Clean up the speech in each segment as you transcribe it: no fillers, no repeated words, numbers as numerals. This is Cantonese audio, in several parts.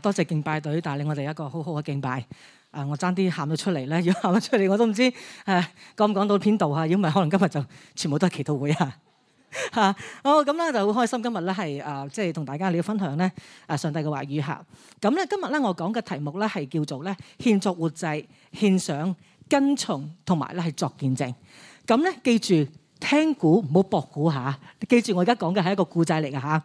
多謝敬拜隊帶領我哋一個好好嘅敬拜。我爭啲喊咗出嚟咧，如果喊咗出嚟我都唔知講唔講到邊度嚇，如果唔係可能今日就全部都係祈禱會啊嚇。好咁咧就好開心，今日咧係即係同大家嚟分享咧上帝嘅話語嚇。咁咧今日咧我講嘅題目咧係叫做咧獻作活祭、獻上、跟從同埋咧係作見證。咁咧記住聽故唔好博故嚇，記住我而家講嘅係一個故仔嚟嘅嚇。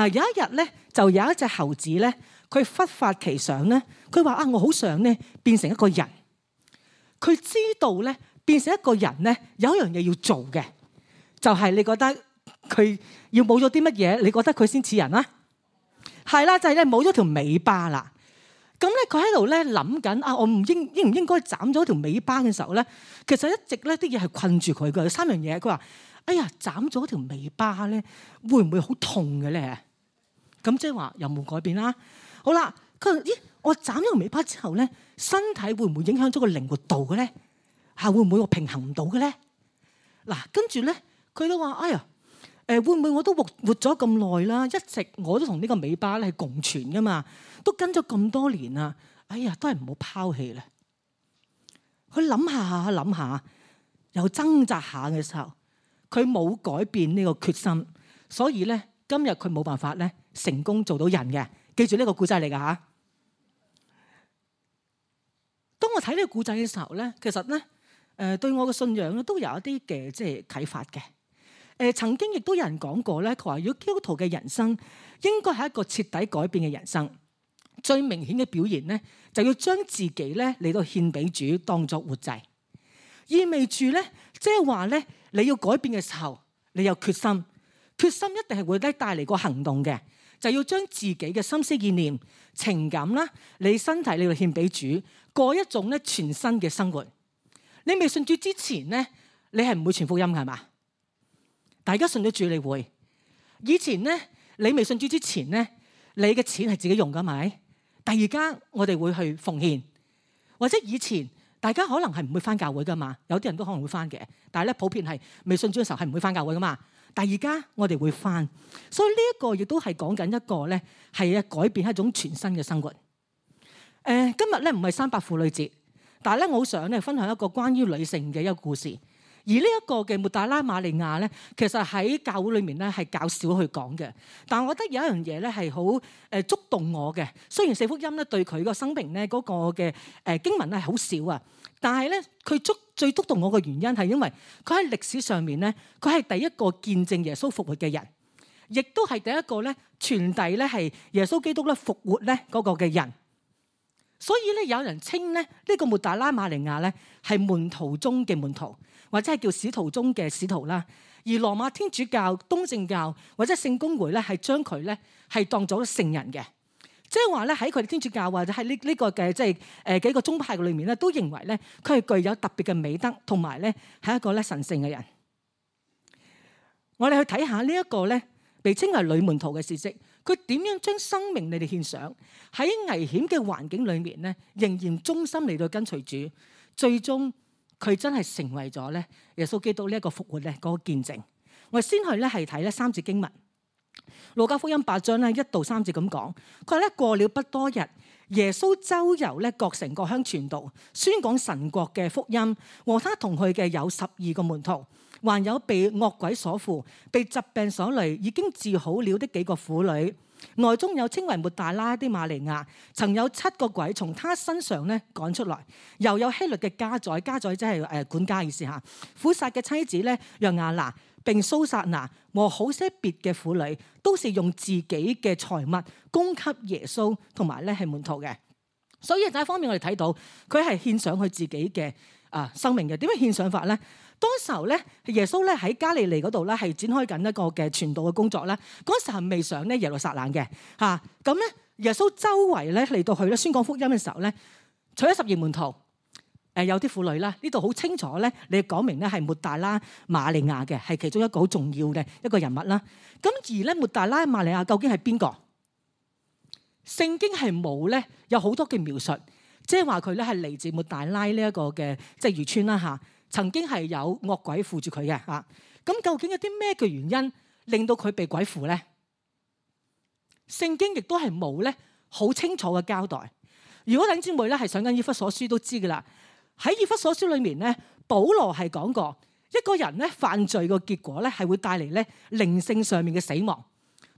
有一日咧就有一隻猴子咧。佢忽發奇想咧，佢話我好想咧變成一個人。佢知道咧變成一個人咧有一樣嘢要做嘅，就係你覺得佢要冇咗啲乜嘢？你覺得佢先似人啊？係啦，就係咧冇咗條尾巴啦。咁咧佢喺度咧諗緊我應唔應該斬咗條尾巴嘅時候咧，其實一直咧啲嘢係困住佢嘅。有三樣嘢，佢話：哎呀，斬咗條尾巴咧，會唔會好痛嘅咧？咁即係話有冇改變啦？好啦，佢話：咦，我斬咗條尾巴之後咧，身體會唔會影響咗個靈活度嘅咧？會唔會我平衡唔到嘅咧？嗱，跟住咧，佢都話：哎呀，會唔會我都活咗咁耐啦？一直我都同呢個尾巴咧係共存噶嘛，都跟咗咁多年啦。哎呀，都係唔好拋棄咧。佢諗下，又掙扎下嘅時候，佢冇改變呢個決心，所以咧今日佢冇辦法咧成功做到人嘅。記住呢個故仔嚟㗎嚇。當我睇呢個故仔嘅時候咧，其實咧對我嘅信仰咧都有一啲嘅即係啟發嘅。曾經亦都有人講過咧，佢話如果基督徒嘅人生應該係一個徹底改變嘅人生，最明顯嘅表現咧就要將自己咧嚟到獻俾主當作活祭，意味住咧即係話咧你要改變嘅時候，你有決心一定係會帶嚟個行動嘅。就要將自己嘅心思意念、情感啦，你身體你要獻俾主，過一種咧全新嘅生活。你未信主之前咧，你係唔會傳福音㗎係嘛？大家信咗主你會。以前咧，你未信主之前咧，你嘅錢係自己用㗎咪？但而家我哋會去奉獻，或者以前大家可能係唔會返教會㗎嘛，有啲人都可能會返嘅，但係咧普遍係未信主嘅時候係唔會返教會㗎嘛。但而家我哋會返，所以呢一個亦都係講緊一個咧係改變一種全新嘅生活。今日咧唔係300婦女節，但係咧我好想咧分享一個關於女性嘅一個故事。而呢一個嘅抹大拉瑪利亞咧，其實喺教會裏面咧係較少去講嘅。但係我覺得有一樣嘢咧係好觸動我嘅。雖然四福音咧對佢個生命咧嗰個嘅經文咧係好少啊，但係咧佢最觸動我嘅原因係因為佢喺歷史上面咧，佢係第一個見證耶穌復活嘅人，亦都係第一個咧傳遞咧係耶穌基督咧復活咧嗰個嘅人。所以咧有人稱咧呢個抹大拉瑪利亞咧係門徒中嘅門徒，或者係叫使徒中嘅使徒啦。而羅馬天主教、東正教或者聖公會咧係將佢咧係當咗聖人嘅。即係話咧喺佢哋天主教或者喺呢個嘅即係幾個宗派裏面咧，都認為咧佢係具有特別嘅美德，同埋咧係一個咧神聖嘅人。我哋去睇下呢一個咧被稱為女門徒嘅事蹟，佢點樣將生命你哋獻上，喺危險嘅環境裏面咧，仍然忠心嚟到跟隨主，最終佢真係成為咗咧耶穌基督呢一個復活咧嗰個見證。我哋先去咧係睇咧3節經文。路加福音8章咧1到3節咁講，佢話咧過了不多日，耶穌周遊咧各城各鄉傳道，宣講神國嘅福音。和他同去嘅有12個門徒，還有被惡鬼所附、被疾病所累、已經治好了的幾個婦女。內中有稱為抹大拉的瑪利亞，曾有7個鬼從他身上咧趕出來。又有希律嘅家宰即係管家意思嚇，苦撒嘅妻子咧約亞拿，並蘇撒拿和好些別嘅婦女，都是用自己嘅財物供給耶穌同埋咧係門徒嘅。所以第一方面我哋睇到佢係獻上佢自己嘅生命嘅。點樣獻上法咧？當時候咧，耶穌咧喺加利利嗰度咧係展開緊一個嘅傳道嘅工作咧。嗰時候未上咧耶路撒冷嘅嚇，咁咧耶穌周圍咧嚟到去咧宣講福音嘅時候咧，除咗12門徒，有啲婦女啦，呢度好清楚咧，你講明咧係抹大拉瑪利亞嘅，係其中一個好重要嘅一個人物啦。咁而咧抹大拉瑪利亞究竟係邊個？聖經係冇咧有好多嘅描述，即係話佢咧係嚟自抹大拉呢一個嘅即係漁村啦嚇。曾經係有惡鬼附住佢嘅嚇，咁究竟有啲咩嘅原因令到佢被鬼附咧？聖經亦都係冇咧好清楚嘅交代。如果弟兄姊妹咧係上緊以弗所書都知㗎啦，喺以弗所書裏面咧，保羅係講過一個人咧犯罪嘅結果咧係會帶嚟咧靈性上面嘅死亡。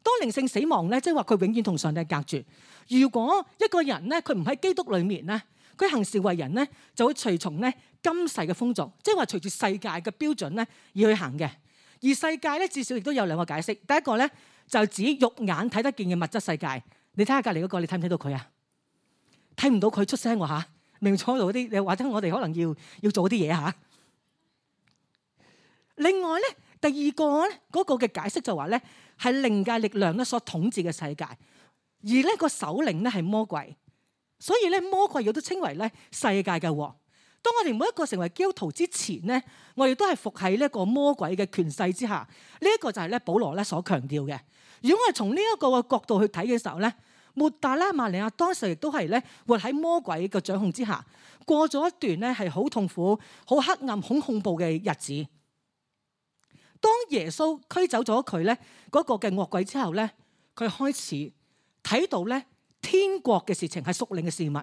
當靈性死亡咧，即係話佢永遠同上帝隔絕。如果一個人咧佢唔喺基督裏面咧，佢行事為人咧就會隨從咧今世嘅風俗，即係話隨住世界嘅標準咧而去行嘅。而世界咧至少亦都有兩個解釋。第一個咧就指肉眼睇得見嘅物質世界。你睇下隔離嗰個，你睇唔睇到佢啊？睇唔到佢出聲喎嚇，明坐喺度嗰啲，或者我哋可能要做啲嘢嚇。另外咧，第二個咧嗰個嘅解釋就話咧係靈界力量咧所統治嘅世界，而呢個首領咧係魔鬼，所以咧魔鬼亦都稱為咧世界嘅王。當我哋每一個成為基督徒之前咧，我哋都係服喺呢一個魔鬼嘅權勢之下。呢一個就係咧保羅咧所強調嘅。如果我哋從呢一個嘅角度去睇嘅時候咧，抹大拉馬利亞當時亦都係咧活喺魔鬼嘅掌控之下，過咗一段咧係好痛苦、好黑暗、好恐怖嘅日子。當耶穌驅走咗佢咧嗰個嘅惡鬼之後咧，佢開始睇到咧天國嘅事情係屬靈嘅事物。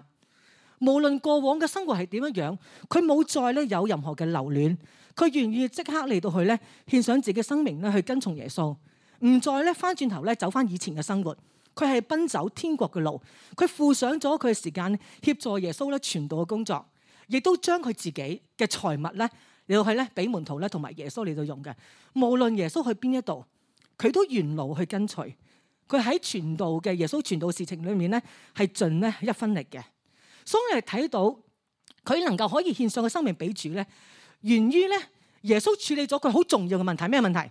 無論過往嘅生活係點樣樣，佢冇再咧有任何嘅留戀，佢願意即刻嚟到去咧獻上自己生命咧去跟從耶穌，唔再咧翻轉頭咧走翻以前嘅生活。佢係奔走天國嘅路，佢付上咗佢嘅時間協助耶穌咧傳道嘅工作，亦都將佢自己嘅財物咧嚟到去咧俾門徒咧同埋耶穌嚟到用嘅。無論耶穌去邊一度，佢都沿路去跟隨。佢喺傳道嘅耶穌傳道事情裏面咧係盡咧一分力嘅。所以我哋睇到佢能夠可以獻上嘅生命俾主咧，源於咧耶穌處理咗佢好重要嘅問題。咩問題？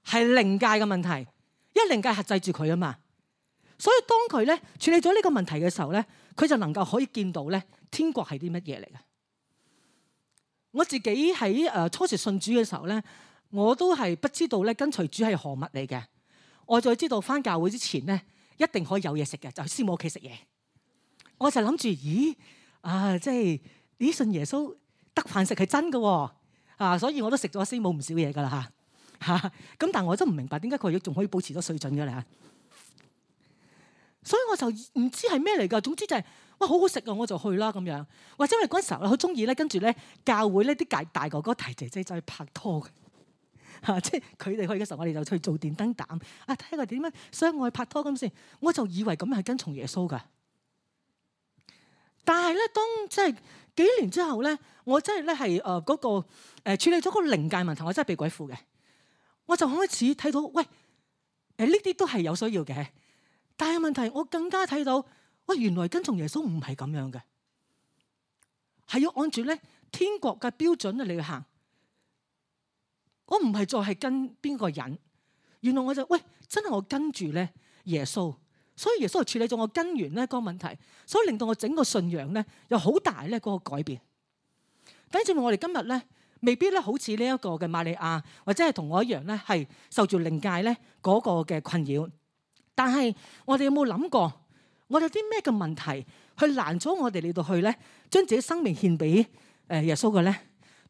係靈界嘅問題。因為靈界轄制住佢啊嘛，所以當佢咧處理咗呢個問題嘅時候咧，佢就能夠可以見到咧天國係啲乜嘢嚟嘅。我自己喺初時信主嘅時候咧，我都係不知道咧跟隨主係何物嚟嘅。我就知道返教會之前咧一定可以有嘢食嘅，就去師母屋企食嘢。我就諗住，即係咦信耶穌得飯食係真嘅喎，所以我都食咗師母唔少嘢噶啦嚇。咁但係我都唔明白點解佢仲可以保持咗水準嘅咧，所以我就唔知係咩嚟㗎。總之就係哇好好食啊，我就去啦咁樣。或者我哋嗰陣時候咧好中意咧跟住咧教會咧啲大哥哥大姐姐就去拍拖嘅，即係佢哋去嘅時候，我哋就去做電燈膽啊，睇下佢點樣相愛拍拖咁先。我就以為咁樣係跟從耶穌㗎。但係咧，當即係幾年之後咧，我真係咧係嗰個處理咗個靈界問題，我真係被鬼附嘅。我就開始睇到，喂，呢啲都係有需要嘅，但係問題我更加睇到，喂，原來跟從耶穌唔係咁樣嘅，係要按住咧天國嘅標準嚟去行。我唔係再係跟邊個人，原來我就喂真係我跟住咧耶穌，所以耶穌係處理咗我根源咧嗰個問題，所以令到我整個信仰咧有好大咧嗰個改變。等陣我哋今日咧。未必咧，好似呢一個嘅瑪利亞，或者係同我一樣咧，係受住靈界咧嗰個嘅困擾。但係我哋有冇諗過，我哋有啲咩嘅問題去攔咗我哋嚟到去咧，將自己生命獻俾耶穌嘅咧？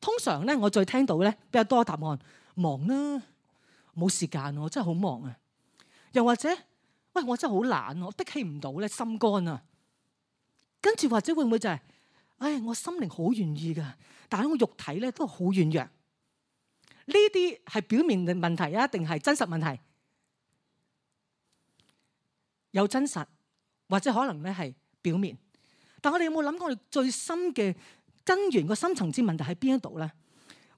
通常咧，我再聽到咧比較多答案，忙啦，冇時間，我真係好忙啊。又或者，喂，我真係好懶，我的起唔到咧，心肝啊。跟住或者會唔會就係？我心靈好願意噶，但係我肉體咧都好軟弱。呢啲係表面嘅問題啊，定係真實問題？有真實，或者可能咧係表面。但我哋有冇諗過，我哋最深嘅根源個深層次問題喺邊一度咧？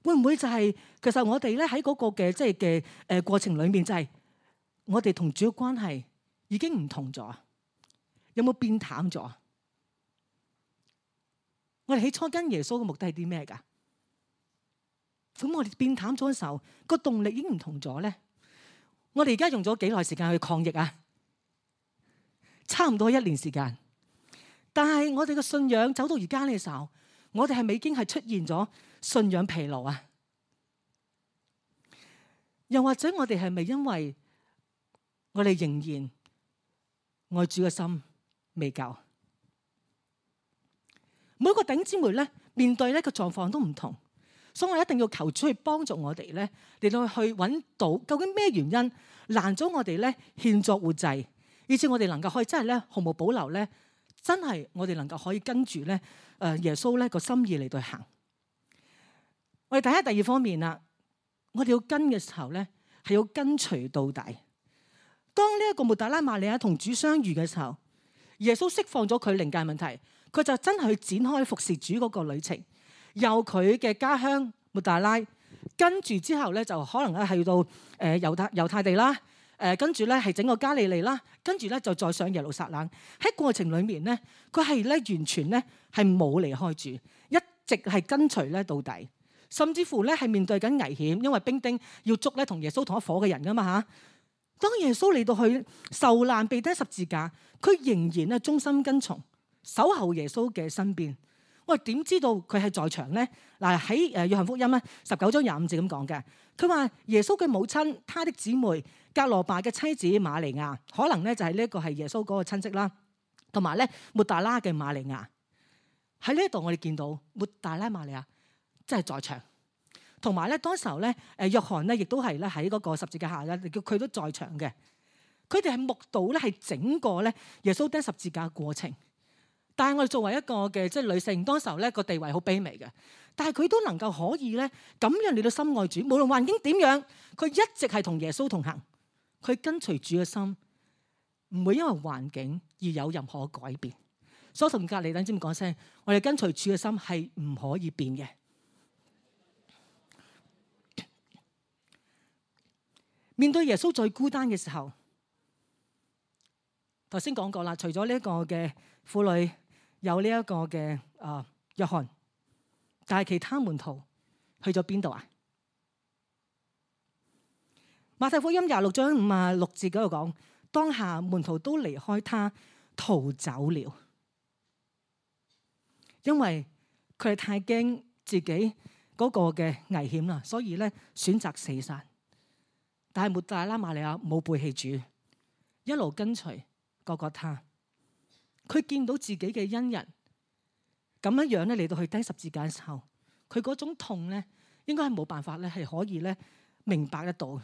會唔會就係其實我哋咧喺嗰個嘅即係嘅過程裏面，就係我哋同主嘅關係已經唔同咗？有冇變淡咗？我哋起初跟耶穌嘅目的係啲咩㗎？咁我哋變淡咗嘅時候，個動力已經唔同咗咧。我哋而家用咗幾耐時間去抗疫啊？差唔多1年時間。但係我哋嘅信仰走到而家嘅時候，我哋係咪已經係出現咗信仰疲勞啊？又或者我哋係咪因為我哋仍然愛主嘅心未夠？每個弟兄姊妹咧面對呢個狀況都唔同，所以我一定要求主去幫助我哋咧，嚟到去揾到究竟咩原因攔咗我哋咧獻作活祭，以致我哋能夠可以真係咧毫無保留咧，真係我哋能夠可以跟住咧耶穌咧個心意嚟到行。我哋睇下第二方面啦，我哋要跟嘅時候咧係要跟隨到底。當呢一個抹大拉瑪利亞同主相遇嘅時候，耶穌釋放咗佢靈界問題，佢就真係去展開服侍主嗰個旅程，由佢嘅家鄉抹大拉，跟住之後咧就可能咧係到猶太地啦，跟住咧係整個加利利啦，跟住咧就再上耶路撒冷。喺過程裡面咧，佢係咧完全咧係冇離開主，一直係跟隨咧到底，甚至乎咧係面對緊危險，因為兵丁要捉咧同耶穌同一伙嘅人噶嘛嚇。當耶穌嚟到去受難被釘十字架，佢仍然咧忠心跟從，守候耶穌嘅身邊。我哋點知道佢係在場咧？嗱，喺約翰福音咧19章25節咁講嘅，佢話耶穌嘅母親，他的姊妹格羅巴嘅妻子瑪利亞，可能咧就係呢一個係耶穌嗰個親戚啦，同埋咧抹大拉嘅瑪利亞。喺呢一度我哋見到抹大拉瑪利亞真係在場。同埋咧，當時候咧，約翰咧，亦都係咧喺嗰個十字架下咧，佢都在場嘅。佢哋係目睹咧係整個咧耶穌釘十字架嘅過程。但係我哋作為一個嘅即係女性，當時候咧個地位好卑微嘅，但係佢都能夠可以咧咁樣嚟到深愛主，無論環境點樣，佢一直係同耶穌同行，佢跟隨主嘅心唔會因為環境而有任何改變。所以同隔離等尖講聲，我哋跟隨主嘅心係唔可以變嘅。面對耶穌最孤單嘅時候，頭先講過啦，除咗呢一個嘅婦女有呢一個嘅約翰，但係其他門徒去咗邊度啊？馬太福音26章56節嗰度講，當下門徒都離開他逃走了，因為佢哋太驚自己嗰個嘅危險啦，所以咧選擇死散。但係抹大拉瑪利亞冇背棄主，一路跟隨各各他。佢見到自己嘅恩人咁樣咧嚟到去釘十字架嘅時候，佢嗰種痛咧，應該係冇辦法咧係可以咧明白得到。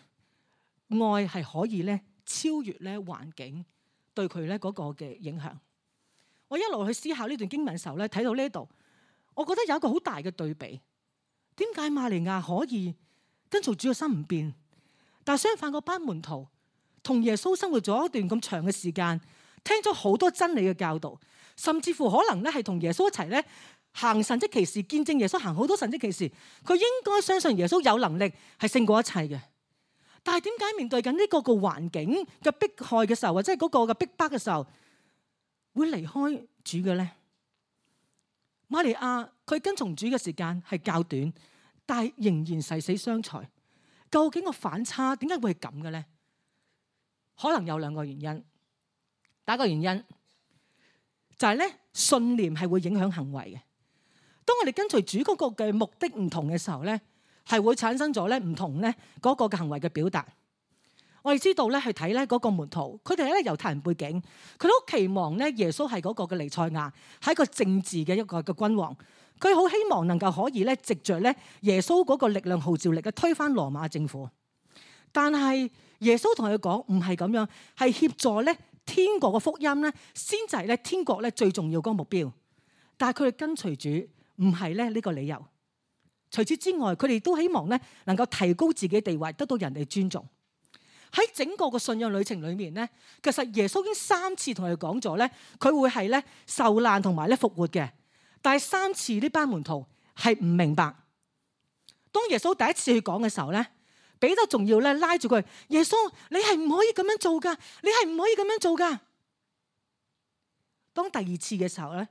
愛係可以咧超越咧環境對佢咧嗰個嘅影響。我一路去思考呢段經文嘅時候咧，睇到呢度，我覺得有一個好大嘅對比。點解瑪利亞可以跟隨主嘅心唔變？但係相反，嗰班門徒同耶穌生活咗一段咁長嘅時間，聽咗好多真理嘅教導，甚至乎可能咧係同耶穌一齊咧行神蹟奇事，見證耶穌行好多神蹟奇事。佢應該相信耶穌有能力係勝過一切嘅。但係點解面對緊呢個個環境嘅迫害嘅時候，或者係嗰個嘅逼迫嘅時候，會離開主嘅咧？瑪利亞佢跟從主嘅時間係較短，但係仍然誓死相隨。究竟個反差點解會係咁嘅咧？可能有兩個原因。第一個原因就係咧，信念係會影響行為嘅。當我哋跟隨主嗰個嘅目的唔同嘅時候咧，係會產生咗咧唔同咧嗰個嘅行為嘅表達。我哋知道咧去睇咧嗰個門徒，佢哋係咧猶太人背景，佢都期望咧耶穌係嗰個嘅彌賽亞，係一個政治嘅一個嘅君王。佢好希望能夠可以咧藉着咧耶穌嗰個力量號召力嘅推翻羅馬政府。但係耶穌同佢講唔係咁樣，係協助咧天國嘅福音咧，先就係咧天國咧最重要嗰個目標。但係佢哋跟隨主唔係咧呢個理由。除此之外，佢哋都希望咧能夠提高自己地位，得到人哋尊重。喺整個嘅信仰旅程裏面咧，其實耶穌已經3次同佢講咗咧，佢會係咧受難同埋咧復活嘅。但係3次呢班門徒係唔明白。當耶穌第一次去講嘅時候咧，彼得仲要咧拉住佢，耶穌你係唔可以咁樣做噶，你係唔可以咁樣做噶。當第2次嘅時候咧，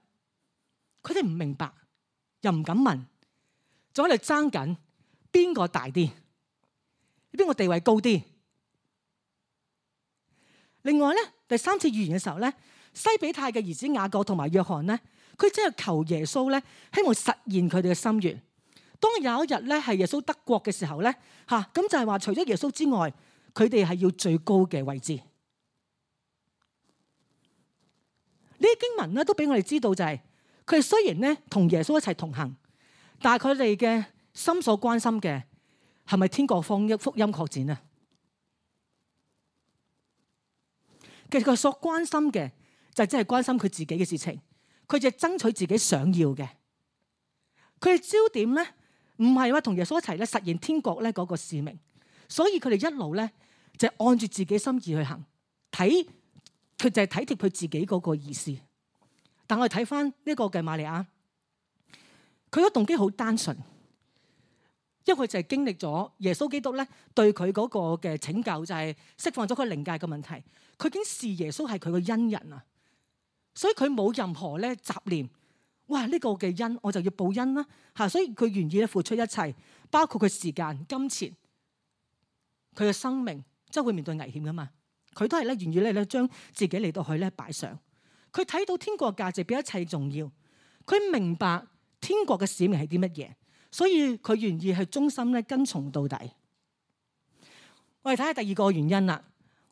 佢哋唔明白，又唔敢問，仲喺度爭緊邊個大啲，邊個地位高啲。另外咧，第3次預言嘅時候咧，西比泰嘅兒子雅各同埋約翰咧，佢真係求耶穌咧，希望實現佢哋嘅心願。當有一日咧係耶穌得國嘅時候咧，咁就係話除咗耶穌之外，佢哋係要最高嘅位置。呢啲經文咧都俾我哋知道就係，佢哋雖然咧同耶穌一齊同行，但係佢哋嘅心所關心嘅係咪天國福音擴展啊？其實佢所關心嘅就只係關心佢自己嘅事情，佢就係爭取自己想要嘅。佢嘅焦點咧唔係話同耶穌一齊咧實現天國咧嗰個使命，所以佢哋一路咧就係按住自己心意去行，佢就係體貼佢自己嗰個意思。但我哋睇翻呢個嘅瑪利亞，佢個動機好單純，因為佢就係經歷咗耶穌基督咧對佢嗰個嘅拯救，就係釋放咗佢靈界嘅問題。佢已經視耶穌係佢個恩人啊，所以佢冇任何咧雜念。哇！呢個嘅恩我就要報恩啦嚇，所以佢願意咧付出一切，包括佢時間、金錢，佢嘅生命，即係會面對危險噶嘛。佢都係咧願意咧將自己嚟到去咧擺上。佢睇到天國嘅價值比一切重要，佢明白天國嘅使命係啲乜嘢，所以佢願意係忠心咧跟從到底。我哋睇下第二個原因啦，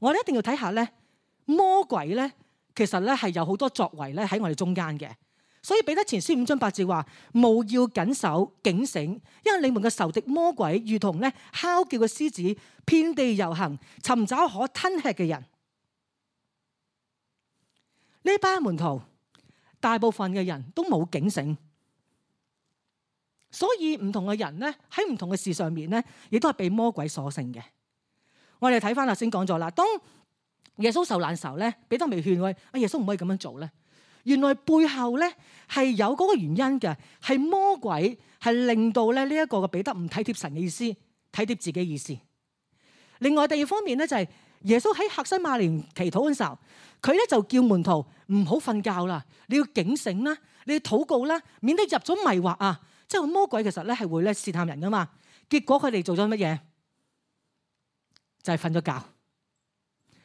我哋一定要睇下咧魔鬼咧其實咧係有好多作為咧喺我哋中間嘅。所以彼得前書5章8節話：務要謹守警醒，因為你們嘅仇敵魔鬼如同咧哮叫嘅獅子，遍地遊行，尋找可吞吃嘅人。呢班門徒大部分嘅人都冇警醒，所以唔同嘅人咧喺唔同嘅事上面咧，亦都係被魔鬼所勝嘅。我哋睇翻頭先講咗啦，當耶穌受難時候咧，彼得未勸佢：阿耶穌唔可以咁樣做咧。原來背後咧係有嗰個原因嘅，係魔鬼係令到咧呢一個嘅彼得唔體貼神嘅意思，體貼自己嘅意思。另外第二方面咧就係耶穌喺客西馬尼祈禱嘅時候，佢咧就叫門徒唔好瞓覺啦，你要警醒啦，你要禱告啦，免得入咗迷惑啊！即係魔鬼其實咧係會咧試探人噶嘛。結果佢哋做咗乜嘢？就係瞓咗覺。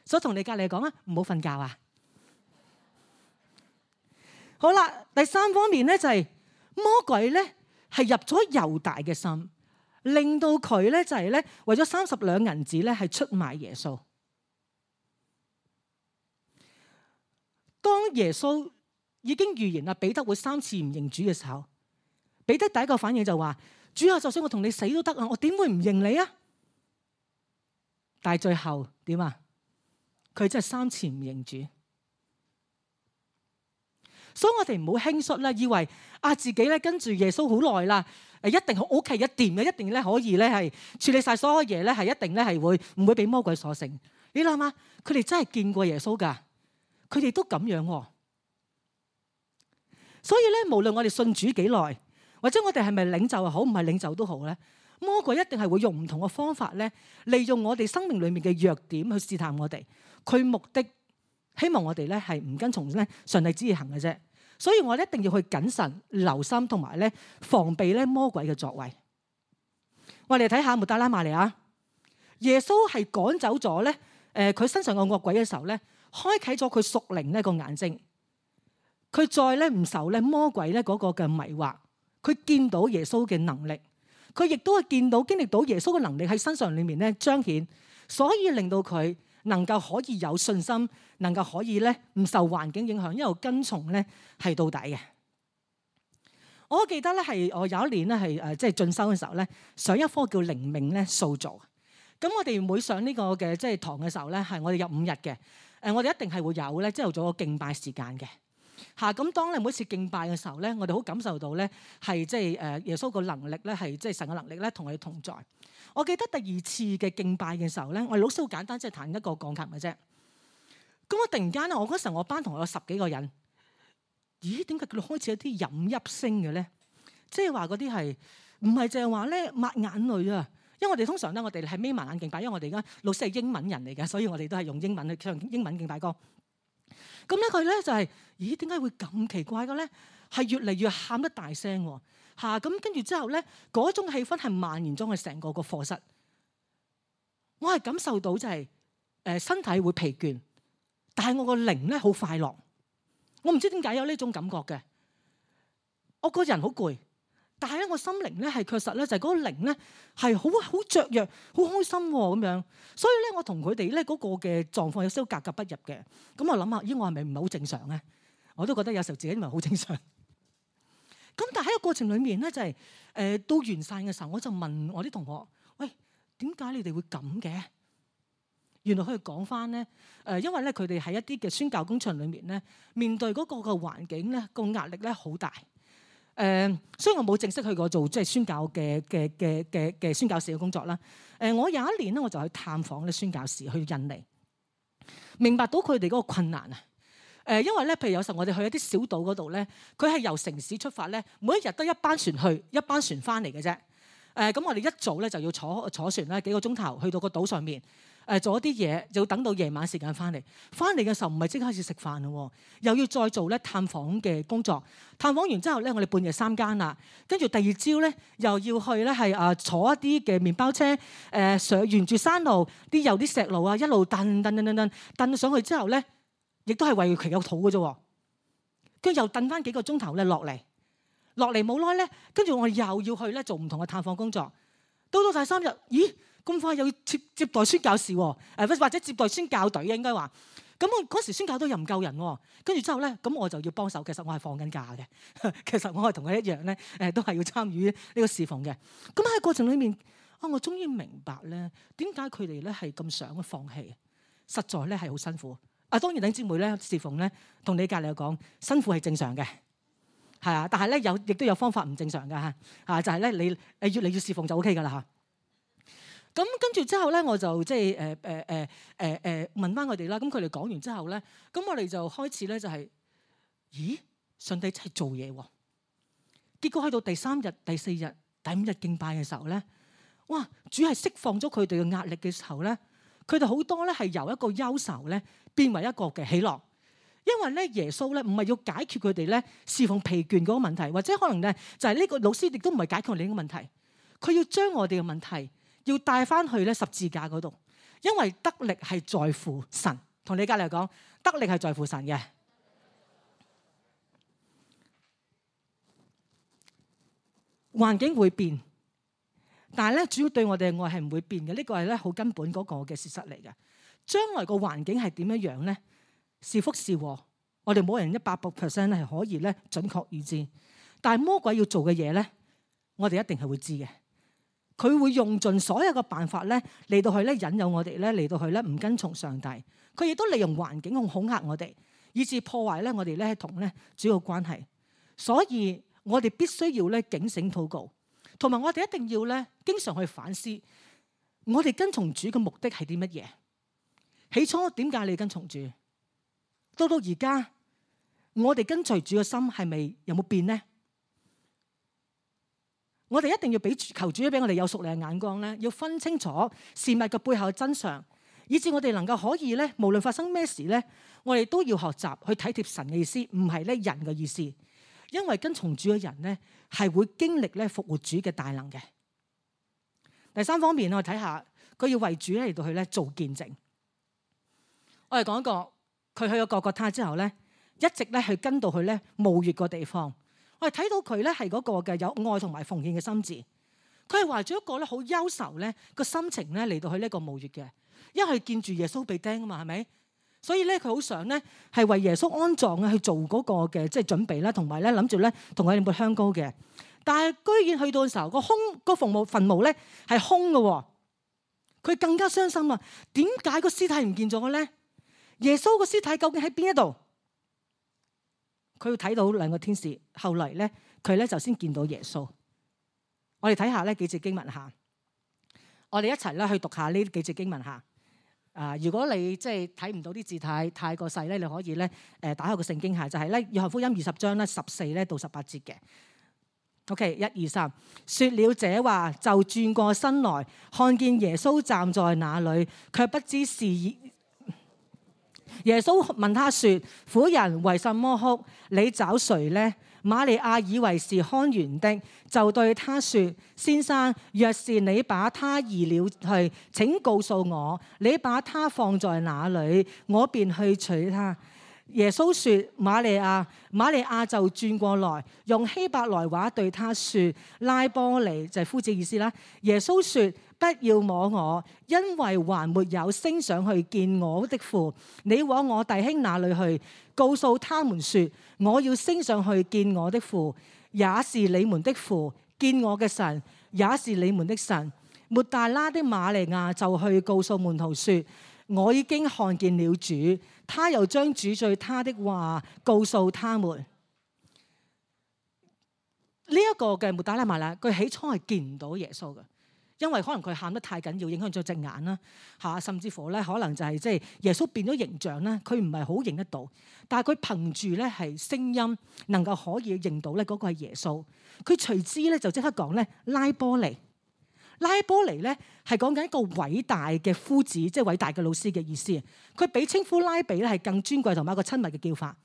所以同你隔籬講啊，唔好瞓覺啊！好啦，第三方面咧就係魔鬼咧係入咗猶大嘅心，令到佢咧就係咧為咗30兩銀子咧係出賣耶穌。當耶穌已經預言啦彼得會3次唔認主嘅時候，彼得第一個反應就話：主啊，就算我同你死都得啊，我點會唔認你啊？但係最後點啊？佢真係3次唔認主。所以我哋唔好輕率啦，以為自己咧跟住耶穌好耐啦，一定好 OK 一掂嘅，一定咧可以咧係處理晒所有嘢咧，係一定咧係會唔會俾魔鬼所勝？你諗下，佢哋真係見過耶穌㗎，佢哋都咁樣喎。所以咧，無論我哋信主幾耐，或者我哋係咪領袖又好，唔係領袖都好咧，魔鬼一定係會用唔同嘅方法咧，利用我哋生命裡面嘅弱點去試探我哋。佢目的希望我哋咧係唔跟從咧上帝旨意行嘅啫。所以我哋一定要去謹慎留心，同埋咧防備咧魔鬼嘅作為。我哋睇下抹大拉瑪利亞，耶穌係趕走咗咧佢身上嘅惡鬼嘅時候咧，開啟咗佢屬靈呢個眼睛，佢再咧唔受咧魔鬼咧嗰個嘅迷惑，佢見到耶穌嘅能力，佢亦都係見到經歷到耶穌嘅能力喺身上裏面咧彰顯，所以令到佢能夠可以有信心，能夠可以咧唔受環境影響，一路跟從咧係到底嘅。我記得咧係我有一年咧係即係進修嘅時候咧，上一科叫靈命咧塑造。咁我哋每上呢個嘅即係堂嘅時候咧，係我哋有5日嘅。我哋一定係會有咧，朝頭早個敬拜時間嘅。咁當你每次敬拜嘅時候咧，我哋好感受到咧係即係耶穌個能力咧係即係神嘅能力咧同我哋同在。我記得第2次嘅敬拜嘅時候咧，我哋老師好簡單，即係彈一個鋼琴嘅啫。咁我突然間咧，我嗰時候我班同學有10幾個人，咦？點解佢哋開始有啲飲泣聲嘅咧？即係話嗰啲係唔係淨係話咧抹眼淚啊？因為我哋通常咧，我哋係眯埋眼敬拜，因為我哋而家老師係英文人嚟嘅，所以我哋都係用英文去唱英文敬拜歌。咁咧佢咧就係，咦？點解會咁奇怪嘅咧？係越嚟越喊得大聲喎。咁跟住之後咧，嗰種氣氛係蔓延咗去成個課室。我係感受到就係身體會疲倦，但係我個靈咧好快樂。我唔知點解有呢種感覺嘅。我個人好攰，但係咧我心靈咧係確實咧就係嗰個靈咧係好雀躍、好開心咁樣。所以咧我同佢哋咧嗰個嘅狀況有少少格格不入嘅。咁我諗下，咦？我係咪唔係好正常咧？我都覺得有時候自己唔係好正常。咁但係喺個過程裡面咧，就係到完散嘅時候，我就問我啲同學：喂，點解你哋會咁嘅？原來佢哋講翻咧，因為咧佢哋喺一啲嘅宣教工場裏面咧，面對嗰個嘅環境咧，個壓力咧好大。所以我冇正式去過做即係宣教嘅宣教士嘅工作啦。我有一年咧，我就去探訪咧宣教士去印尼，明白到佢哋嗰個困難啊。因為咧，譬如有時候我哋去一啲小島嗰度咧，佢係由城市出發咧，每一日得一班船去，一班船翻嚟嘅啫。咁我哋一早咧就要坐船啦，幾個鐘頭去到個島上面，做一啲嘢，就要等到夜晚時間翻嚟。翻嚟嘅時候唔係即刻開始食飯咯，又要再做咧探訪嘅工作。探訪完之後咧，我哋半夜3更啦，跟住第二朝咧又要去咧係坐一啲嘅麵包車，上沿住山路啲有啲石路啊，一路蹬上去之後咧，亦都係為佢有肚嘅啫。跟住又蹬翻幾個鐘頭咧落嚟冇耐咧，跟住我哋又要去咧做唔同嘅探訪工作。到第3日，咦？咁快又要接待宣教士喎？或者接待宣教隊應該話。咁我嗰時宣教隊又唔夠人喎。跟住之後咧，咁我就要幫手。其實我係放緊假嘅，其實我係同佢一樣咧，都係要參與呢個侍奉嘅。咁喺過程裏面，我終於明白咧，點解佢哋咧係咁想放棄？實在咧係好辛苦。當然弟兄姊妹咧侍奉咧，同你隔離講辛苦係正常嘅，係啊。但係咧亦都有方法唔正常嘅嚇，就係咧你越嚟越侍奉就 OK 㗎啦嚇。咁跟住之後咧，我就即係問翻佢哋啦。咁佢哋講完之後咧，咁我哋就開始咧就係，咦？上帝真係做嘢喎！結果去到第3日、第4日、第5日敬拜嘅時候咧，哇！主係釋放咗佢哋嘅壓力嘅時候咧，佢哋好多咧係由一個憂愁咧變為一個嘅喜樂，因為咧耶穌咧唔係要解決佢哋咧侍奉疲倦嗰個問題，或者可能咧就係呢個老師亦都唔係解決我哋呢個問題，佢要將我哋嘅問題要帶翻去咧十字架嗰度，因為得力係在乎神。同你隔離講，得力係在乎神嘅。環境會變，但係咧主要對我哋嘅愛係唔會變嘅。呢個係咧好根本嗰個嘅事實嚟嘅。將來個環境係點樣樣咧？是福是禍，我哋冇人100% 係可以咧準確預知。但係魔鬼要做嘅嘢咧，我哋一定係會知嘅。佢會用盡所有嘅辦法咧嚟到去咧引誘我哋咧嚟到去咧唔跟從上帝。佢亦都利用環境去恐嚇我哋，以致破壞咧我哋咧同咧主要關係。所以我哋必須要咧警醒禱告，同埋我哋一定要咧經常去反思，我哋跟從主嘅目的係啲乜嘢？起初點解你跟從主？到而家我哋跟隨主嘅心係咪有冇變呢？我哋一定要求主俾我哋有屬靈嘅眼光咧，要分清楚事物嘅背後嘅真相，以致我哋能夠可以咧，無論發生咩事咧，我哋都要學習去體貼神嘅意思，唔係咧人嘅意思。因為跟從主嘅人咧，係會經歷咧復活主嘅大能嘅。第3方面，我哋睇下佢要為主嚟到去咧做見證。我哋講過，佢去咗各各他之後咧，一直咧去跟到去咧墓穴個地方。我哋睇到佢咧係嗰個嘅有愛同埋奉獻嘅心智，佢係懷住一個咧好憂愁咧個心情咧嚟到去呢個墓穴嘅，因為佢見住耶穌被釘啊嘛，係咪？所以咧佢好想咧係為耶穌安葬啊去做嗰個嘅即係準備啦，同埋咧諗住咧同佢哋抹香膏嘅。但係居然去到嘅時候，個墳墓咧係空嘅，佢更加傷心啊！點解個屍體唔見咗嘅咧？耶穌個屍體究竟喺邊一度？佢要睇到2個天使，後嚟咧佢咧就先見到耶穌。我哋睇下呢幾節經文下，我哋一齊咧去讀下呢幾節經文下。如果你即係睇唔到啲字太過細咧，你可以咧打開個聖經下，就係咧約翰福音20章咧14咧到18節嘅。OK， 1、2、3，說了這話就轉過身來，看見耶穌站在那裏，卻不知是。耶穌問他說：婦人為什麼哭？你找誰呢？瑪利亞以為是看園的，就對他說：先生，若是你把他移了去，請告訴我，你把他放在哪裏，我便去取他。耶穌說：瑪利亞。瑪利亞就轉過來，用希伯來話對他說：拉波尼，就係夫子意思啦。耶穌說：不要摸我，因為還沒有升上去見我的父。你往我弟兄那裏去，告訴他們說：我要升上去見我的父，也是你們的父；見我嘅神，也是你們的神。抹大拉的瑪利亞就去告訴門徒說：我已經看見了主，他又將主對他的話告訴他們。呢一個嘅抹大拉瑪利亞，佢起初係見唔到耶穌嘅。因為可能佢喊得太緊要，影響咗隻眼啦嚇，甚至乎咧可能就係即係耶穌變咗形象啦，佢唔係好認得到。但係佢憑住咧係聲音，能夠可以認到咧嗰個係耶穌。佢隨之咧就即刻講咧拉波尼。拉波尼咧係講緊一個偉大嘅夫子，即係偉大嘅老師嘅意思。佢比稱呼拉比咧係更尊貴同埋一個親密嘅叫法。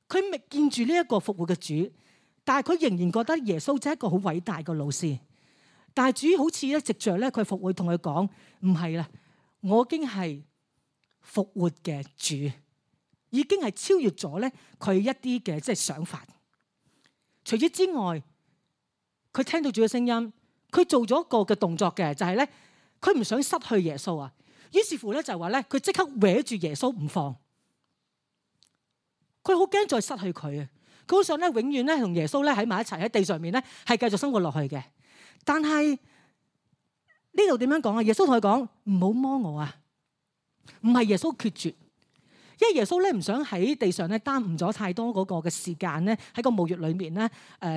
佢未見住呢一個復活嘅主，但係佢仍然覺得耶穌就係一個好偉大嘅老師。但係主好似咧，藉着咧佢復活同佢講，唔係啦，我已經係復活嘅主，已經係超越咗咧佢一啲嘅即係想法。除此之外，佢聽到主嘅聲音，佢做咗一個嘅動作嘅，就係咧佢唔想失去耶穌啊。於是乎咧就話咧，佢即刻搲住耶穌唔放，佢好驚再失去佢啊！佢好想咧永遠咧同耶穌咧喺埋一齊喺地上面咧係繼續生活落去嘅。但係呢度點樣講啊？耶穌同佢講唔好摸我啊！唔係耶穌決絕，因為耶穌咧唔想喺地上咧耽誤咗太多嗰個嘅時間咧喺個墓穴裏面咧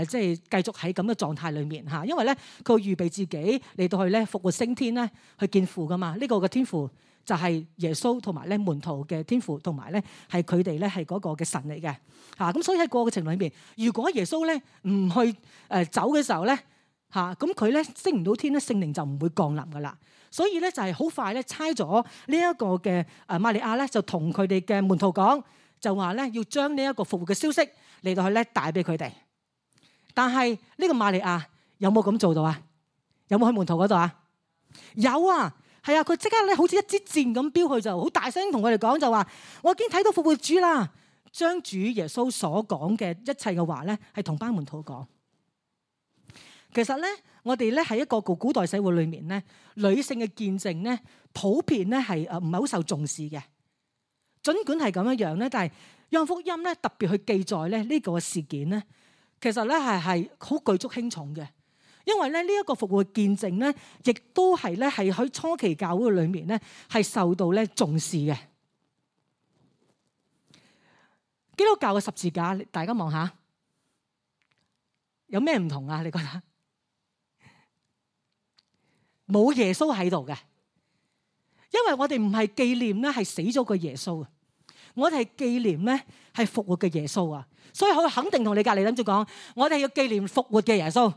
即係繼續喺咁嘅狀態裏面嚇。因為咧佢預備自己嚟到去咧復活升天咧去見父噶嘛。呢個嘅天父就係耶穌同埋咧門徒嘅天父，同埋咧係佢哋咧係嗰個嘅神嚟嘅嚇。咁所以喺過程裏面，如果耶穌咧唔去走嘅時候咧，咁佢咧升唔到天咧，聖靈就唔會降臨噶啦。所以咧就係好快咧猜咗呢一個嘅瑪利亞咧，就同佢哋嘅門徒講，就話咧要將呢一個復活嘅消息嚟到去咧帶俾佢哋。但係呢個瑪利亞有冇咁做到啊？有冇去門徒嗰度啊？有啊，係啊，佢即刻咧好似一支箭咁飆去，就好大聲同佢哋講，就話我已經睇到復活主啦，將主耶穌所講嘅一切嘅話咧係同班門徒講。其實咧，我哋咧喺一個古代社會裏面咧，女性嘅見證咧，普遍咧係唔係好受重視嘅。儘管係咁樣樣咧，但係約翰福音咧特別去記載咧呢個事件咧，其實咧係好舉足輕重嘅。因為咧呢一個復活見證咧，亦都係咧係喺初期教會裏面咧係受到咧重視嘅。基督教嘅十字架，大家望下，有咩唔同啊？你覺得？冇耶穌喺度嘅，因為我哋唔係紀念咧係死咗個耶穌啊，我哋係紀念咧係復活嘅耶穌啊，所以我肯定同你隔離諗住講，我哋要紀念復活嘅耶穌，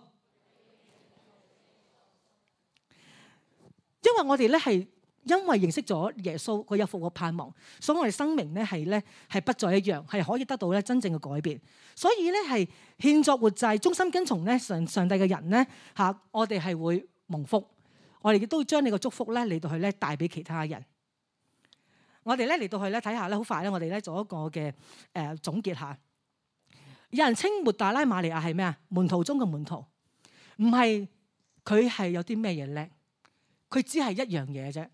因為我哋咧係因為認識咗耶穌，佢有復活盼望，所以我哋生命咧係不再一樣，係可以得到咧真正嘅改變。所以咧係獻作活祭，忠心跟從咧上帝嘅人咧我哋係會蒙福。我哋亦都會將你個祝福咧嚟到去咧帶俾其他人。我哋咧嚟到去咧睇下咧，好快咧，我哋咧做一個嘅總結下。有人稱抹大拉瑪利亞係咩啊？門徒中嘅門徒，唔係佢係有啲咩嘢叻，佢只係一樣嘢啫，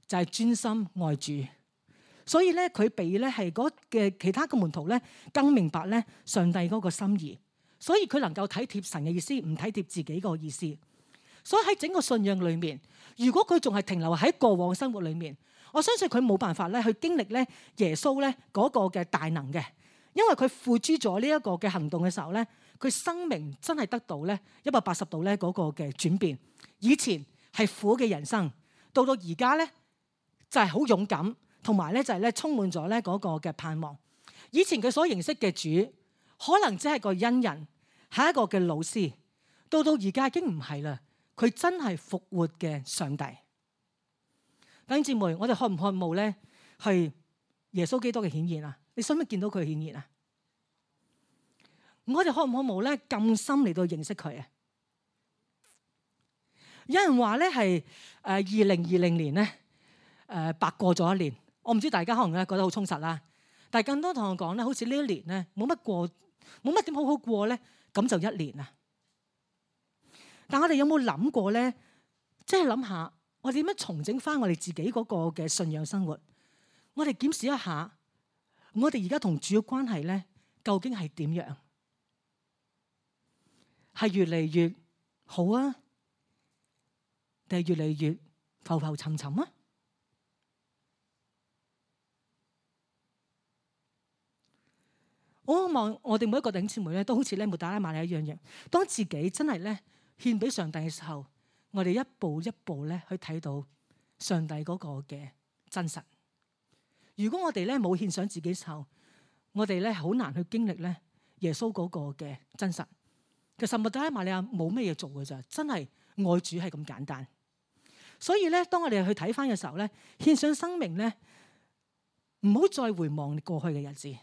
就係專心愛主。所以咧，佢比咧係嗰嘅其他嘅門徒咧更明白咧上帝嗰個心意，所以佢能夠體貼神嘅意思，唔體貼自己個意思。所以喺整個信仰裏面，如果佢仲係停留喺過往生活裏面，我相信佢冇辦法咧去經歷咧耶穌咧嗰個嘅大能嘅，因為佢付諸咗呢一個嘅行動嘅時候咧，佢生命真係得到咧180度咧嗰個嘅轉變。以前係苦嘅人生，到而家咧就係好勇敢，同埋咧就係咧充滿咗咧嗰個嘅盼望。以前佢所認識嘅主，可能只係個恩人，係一個嘅老師，到而家已經唔係啦。佢真係復活嘅上帝。弟兄姊妹，我哋渴唔渴慕咧係耶穌基督嘅顯現啊？你想唔想見到佢嘅顯現啊？我哋渴唔渴慕咧咁深嚟到認識佢啊？有人話咧係2020年咧白過咗一年。我唔知大家可能咧覺得好充實啦，但係更多同我講咧，好似呢一年咧冇乜過，冇乜點好好過咧，咁就一年啦。但我哋有冇諗過咧？即係諗下，我哋點樣重整翻我哋自己嗰個嘅信仰生活？我哋檢視一下，我哋而家同主嘅關係咧，究竟係點樣？係越嚟越好啊，定係越嚟越浮浮沉沉啊？我希望我哋每一個弟兄姊妹咧，都好似咧抹大拉瑪利亞一樣，當自己真係咧獻俾上帝嘅時候，我哋一步一步咧去睇到上帝嗰個嘅真實。如果我哋咧冇獻上自己嘅時候，我哋咧好難去經歷咧耶穌嗰個嘅真實。其實抹大拉瑪利亞冇咩嘢做嘅咋，真係愛主係咁簡單。所以咧，當我哋去睇翻嘅時候咧，獻上生命咧，唔好再回望過去嘅日子，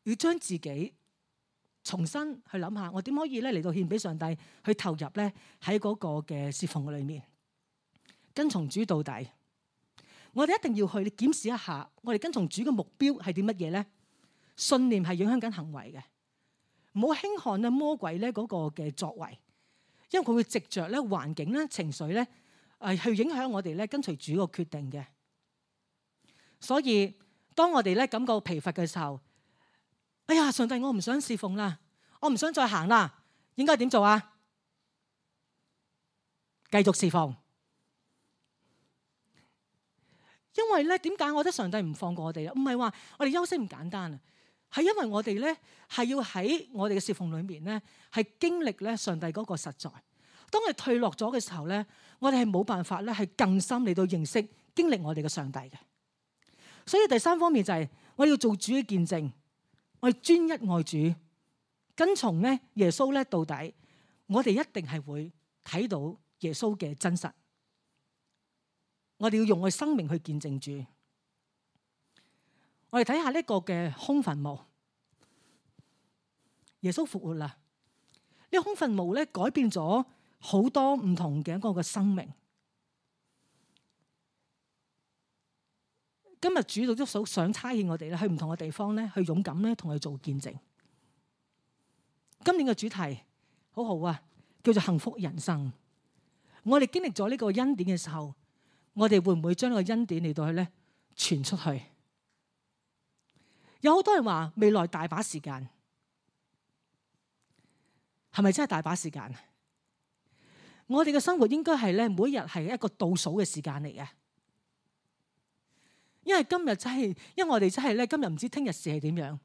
要將自己重新去諗下，我點可以咧嚟到獻俾上帝，去投入咧喺嗰個嘅侍奉裏面，跟從主到底。我哋一定要去檢視一下，我哋跟從主嘅目標係啲乜嘢咧？信念係影響緊行為嘅，唔好輕看咧魔鬼咧嗰個嘅作為。因為佢會藉着咧環境咧情緒咧去影響我哋咧跟隨主個決定嘅。所以當我哋咧感覺疲乏嘅時候，哎呀，上帝，我唔想侍奉啦，我唔想再行啦，應該點做啊？繼續侍奉。因為咧點解我覺得上帝唔放過我哋啊？唔係話我哋休息唔簡單啊，係因為我哋咧係要喺我哋嘅侍奉裏面咧係經歷咧上帝嗰個實在。當我哋退落咗嘅時候咧，我哋係冇辦法咧係更深嚟到認識經歷我哋嘅上帝嘅。所以第三方面就係我哋要做主嘅見證，我哋專一愛主，跟從咧耶穌咧到底，我哋一定係會睇到耶穌嘅真實。我哋要用我哋生命去見證主。我哋睇下呢個嘅空墳墓，耶穌復活啦。呢個空墳墓咧改變咗好多唔同嘅一個嘅生命。今日主都想差遣我哋咧去唔同嘅地方咧，去勇敢咧同佢做見證。今年嘅主題好好啊，叫做幸福人生。我哋經歷咗呢個恩典嘅時候，我哋會唔會將呢個恩典嚟到去咧傳出去？有好多人話未來大把時間，係咪真係大把時間？我哋嘅生活應該係咧每一日係一個倒數嘅時間嚟嘅，因為今日真係，因為我哋真係咧今日唔知聽日事係點樣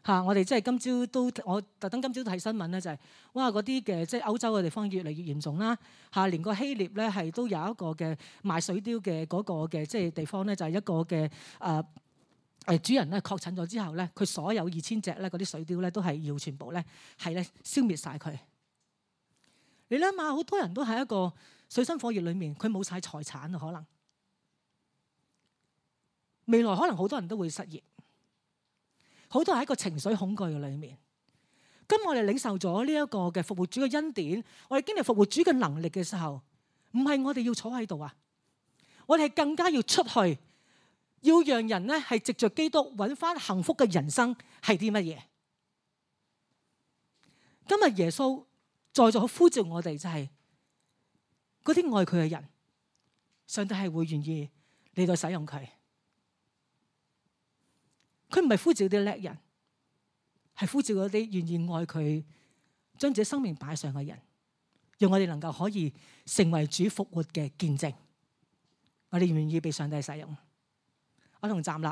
嚇。我哋真係今朝都，我特登今朝睇新聞咧，就係哇嗰啲嘅即係歐洲嘅地方越嚟越嚴重啦嚇，連個希臘咧係都有一個嘅賣水貂嘅嗰個嘅即係地方咧，就係一個嘅主人咧確診咗之後咧，佢所有2000隻咧嗰啲水貂咧都係要全部咧係咧消滅晒佢。你諗下，好多人都喺一個水深火熱裏面，佢冇晒財產啊，可能未來可能好多人都會失業，好多人喺一個情緒恐懼嘅裏面。咁我哋領受咗呢一個嘅復活主嘅恩典，我哋經歷復活主嘅能力嘅時候，唔係我哋要坐喺度啊，我哋係更加要出去，要讓人咧係藉着基督揾翻幸福嘅人生係啲乜嘢？今日耶穌在座呼召我哋，就係嗰啲愛佢嘅人，上帝係會願意嚟到使用佢。佢唔係呼召啲叻人，係呼召嗰啲願意愛佢、將自己生命擺上嘅人，讓我哋能夠可以成為主復活嘅見證。我哋願唔願意被上帝使用？我同站立。